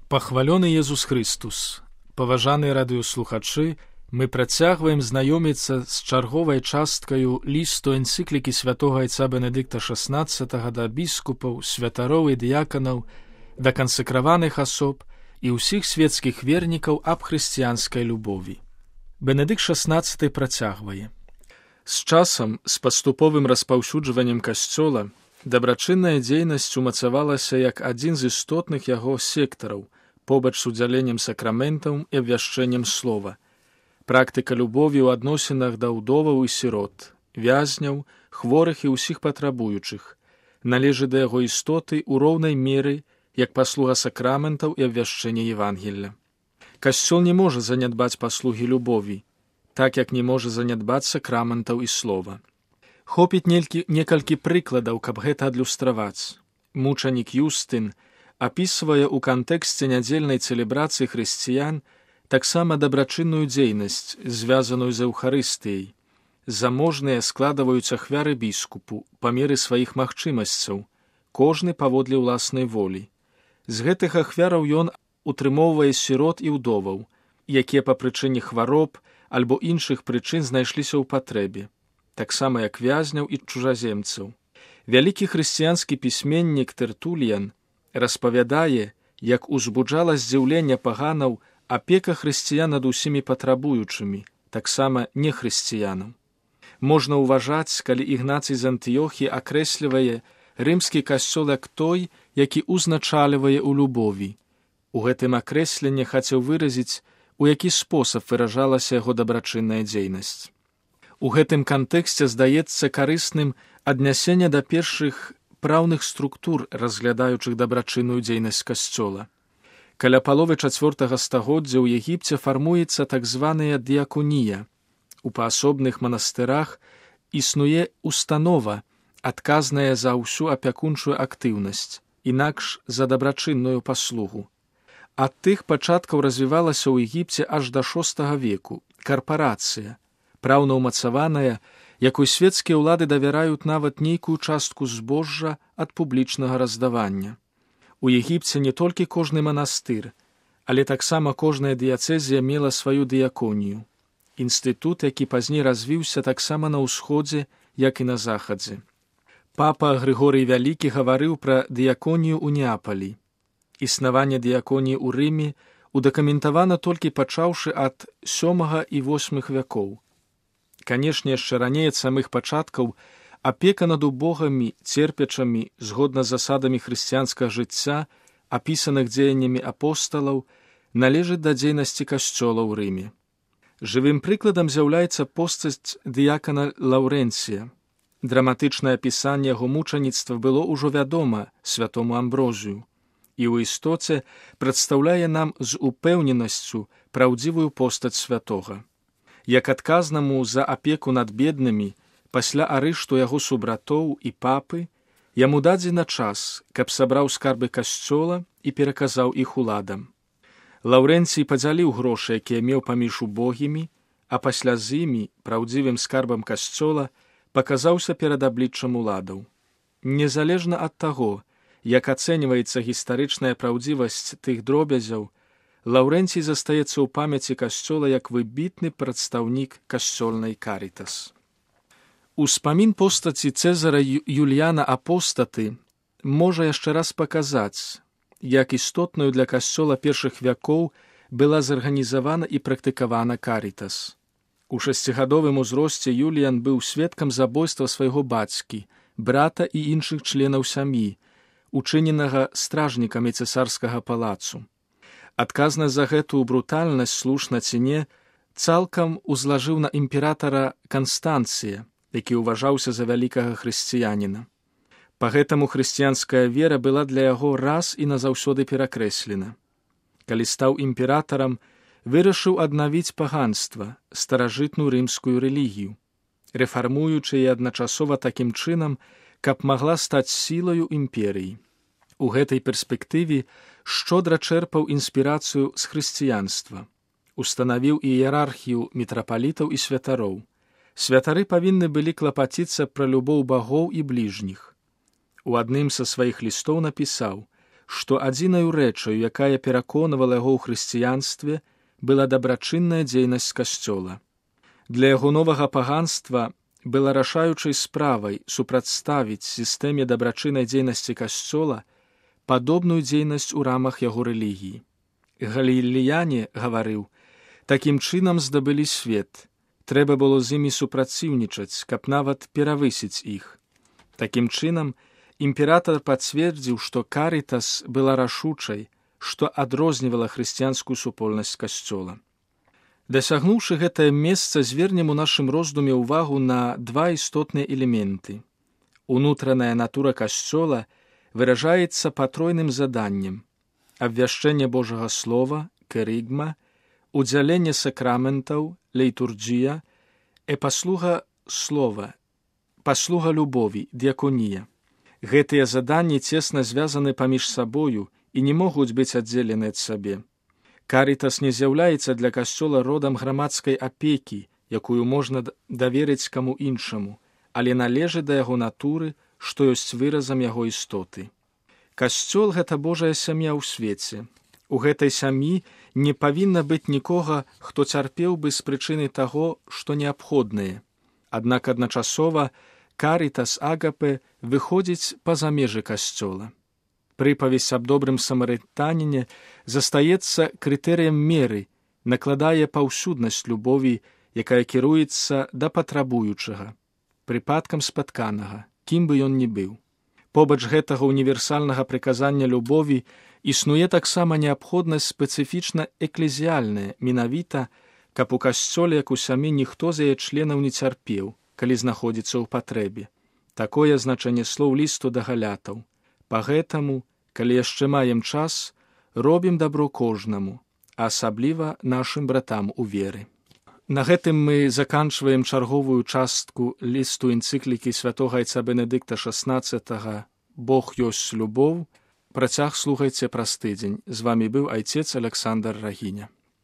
Пахвалёны Езус Христус! Паважаныя радыёслухачы, мы працягваем знаёміцца з чарговай часткаю лісту энцыклікі святога айца Бенедыкта XVI да біскупаў, святароў і дыяканаў, да кансакраваных асоб і ўсіх светскіх вернікаў аб хрысціянскай любові. Бенедыкт XVI працягвае. З часам, з паступовым распаўсюджваннем касцёла, дабрачынная дзейнасць умацавалася як адзін з істотных яго сектараў, побач з удзяленнем сакраментаў і абвяшчэннем слова. Практыка любові ў адносінах да ўдоваў і сірот, вязняў, хворых і ўсіх патрабуючых, належыць да яго істоты ў роўнай меры, як паслуга сакраментаў і абвяшчэння Евангелля. Касцёл не можа занядбаць паслугі любові, так як не можа занядбаць сакраментаў і слова. Хопіць некалькі прыкладаў, каб гэта адлюстраваць. Мучанік Юстын апісвае ў кантэксце нядзельнай цэлебрацыі хрысціян таксама дабрачынную дзейнасць, звязаную з Эўхарыстыяй. Заможныя складваюць ахвяры біскупу па меры сваіх магчымасцяў, кожны паводле ўласнай волі. З гэтых ахвяраў ён утрымоўвае сірот і ўдоваў, якія па прычыне хвароб альбо іншых прычын знайшліся ў патрэбе, таксама як вязняў і чужаземцаў. Вялікі хрысціянскі пісьменнік Тертуліян распавядае, як узбуджала здзіўленне паганаў апека хрысціян над усімі патрабуючымі, таксама нехрысціянам. Можна ўважаць, калі Ігнацый з Антыёхіі акрэслівае рымскі касцёл як той, які узначальвае ў любові. У гэтым акрэсленні хацеў выразіць, у які спосаб выражалася яго дабрачынная дзейнасць. У гэтым кантэксце здаецца карысным аднясенне да першых праўных структур, разглядаючых дабрачынную дзейнасць касцёла. Каля паловы 4 стагоддзя ў Егіпце фармуецца так званая дыяконія. У паасобных манастырах існуе установа, адказная за ўсю апякунчую актыўнасць, інакш за дабрачынную паслугу. Ад тых пачаткаў развівалася ў Егіпце аж да VI веку карпарацыя, праўна ўмацаваная, якой светскія ўлады давяраюць нават нейкую частку збожжа ад публічнага раздавання. У Егіпце не толькі кожны манастыр, але таксама кожная дыяцэзія мела сваю дыяконію. Інстытут, які пазней развіўся таксама на ўсходзе, як і на захадзе. Папа Грыгорый Вялікі гаварыў пра дыяконію ў Неапалі. Існаванне дыяконіі ў Рыме удакументавана толькі пачаўшы ад VII і VIII вякоў. Канешне, яшчэ раней ад самых пачаткаў апека над убогамі, церпячамі, згодна з засадамі хрысціянскага жыцця, апісаных дзеяннямі апосталаў, належыць да дзейнасці касцёла ў Рыме. Жывым прыкладам з'яўляецца постаць дыякана Лаўрэнція. Драматычнае апісанне яго мучаніцтва было ўжо вядома святому Амброзію і ў істоце прадстаўляе нам з упэўненасцю праўдзівую постаць святога. Як адказнаму за апеку над беднымі, пасля арышту яго субратоў і папы, яму дадзена час, каб сабраў скарбы касцёла і пераказаў іх уладам. Лаўрэнцій падзяліў грошы, якія меў паміж убогімі, а пасля з імі, праўдзівым скарбам касцёла, паказаўся перад абліччам уладаў. Незалежна ад таго, як ацэньваецца гістарычная праўдзівасць тых дробязяў, Лаўрэнцій застаецца ў памяці касцёла як выбітны прадстаўнік касцёльнай карітас. Успамін постаці Цэзара Юліяна Апостаты можа яшчэ раз паказаць, як істотнаю для касцёла першых вякоў была зарганізавана і практыкавана карітас. У 6гадовым узросце Юліян быў сведкам забойства свайго бацькі, брата і іншых членаў сям'і, учыненага стражнікамі цэсарскага палацу. Адказнасць за гэтую брутальнасць, слушна ці не, цалкам узлажыў на імператара Канстанцыя, які ўважаўся за вялікага хрысціяніна. Па гэтаму хрысціянская вера была для яго раз і назаўсёды перакрэслена. Калі стаў імператарам, вырашыў аднавіць паганства, старажытную рымскую рэлігію, рэфармуючы і адначасова такім чынам, каб магла стаць сілаю імперыі. У гэтай перспектыве шчодра чэрпаў інспірацыю з хрысціянства, устанавіў іерархію мітрапалітаў і святароў. Святары павінны былі клапаціцца пра любоў багоў і бліжніх. У адным са сваіх лістоў напісаў: што адзінаю рэчаю, якая пераконвала яго ў хрысціянстве, была дабрачынная дзейнасць касцёла. Для яго новага паганства была рашаючай справай супрацьставіць сістэме дабрачыннай дзейнасці касцёла падобную дзейнасць у рамах яго рэлігіі. Галілеяне гаварыў: такім чынам здабылі свет, трэба было з імі супраціўнічаць, каб нават перавысіць іх. Такім чынам, імператар пацвердзіў, што Карытас была рашучай, што адрознівала хрысціянскую супольнасць касцёла. Дасягнуўшы гэтае месца, звернем у нашым роздуме ўвагу на два істотныя элементы. Унутраная натура касцёла выражаецца патройным заданнем: абвяшчэнне Божага слова, кэрыгма, удзяленне сакраментаў, лейтурджія, паслуга слова, паслуга любові, дыяконія. Гэтыя заданні цесна звязаны паміж сабою і не могуць быць аддзелены ад сабе. Карытас не з'яўляецца для касцёла родам грамадскай апекі, якую можна даверыць каму іншаму, але належыць да яго натуры, што ёсць выразам яго істоты. Касцёл — гэта Божая сям'я ў свеце. У гэтай сям'і не павінна быць нікога, хто цярпеў бы з прычыны таго, што неабходнае. Аднак адначасова Карытас агапе выходзіць па-за межы касцёла. Прыпавесць аб добрым самарытаніне застаецца крытэрыем меры, накладае паўсюднасць любові, якая кіруецца да патрабуючага, прыпадкам спатканага, кім бы ён ні быў. Побач гэтага універсальнага прыказання любові існуе таксама неабходнасць спецыфічна эклезіяльная, менавіта, каб у касцёле, як у сям'і, ніхто з яе членаў не цярпеў, калі знаходзіцца ў патрэбе. Такое значэнне слоў лісту да галятаў. Пагэтаму, калі яшчэ маем час, робім дабро кожнаму, а асабліва нашым братам у веры. На гэтым мы заканчваем чарговую частку лісту энцыклікі святога айца Бенедыкта XVI «Бог ёсць любоў». Працяг слухайце праз тыдзень. З вамі быў айцец Александр Рагіня.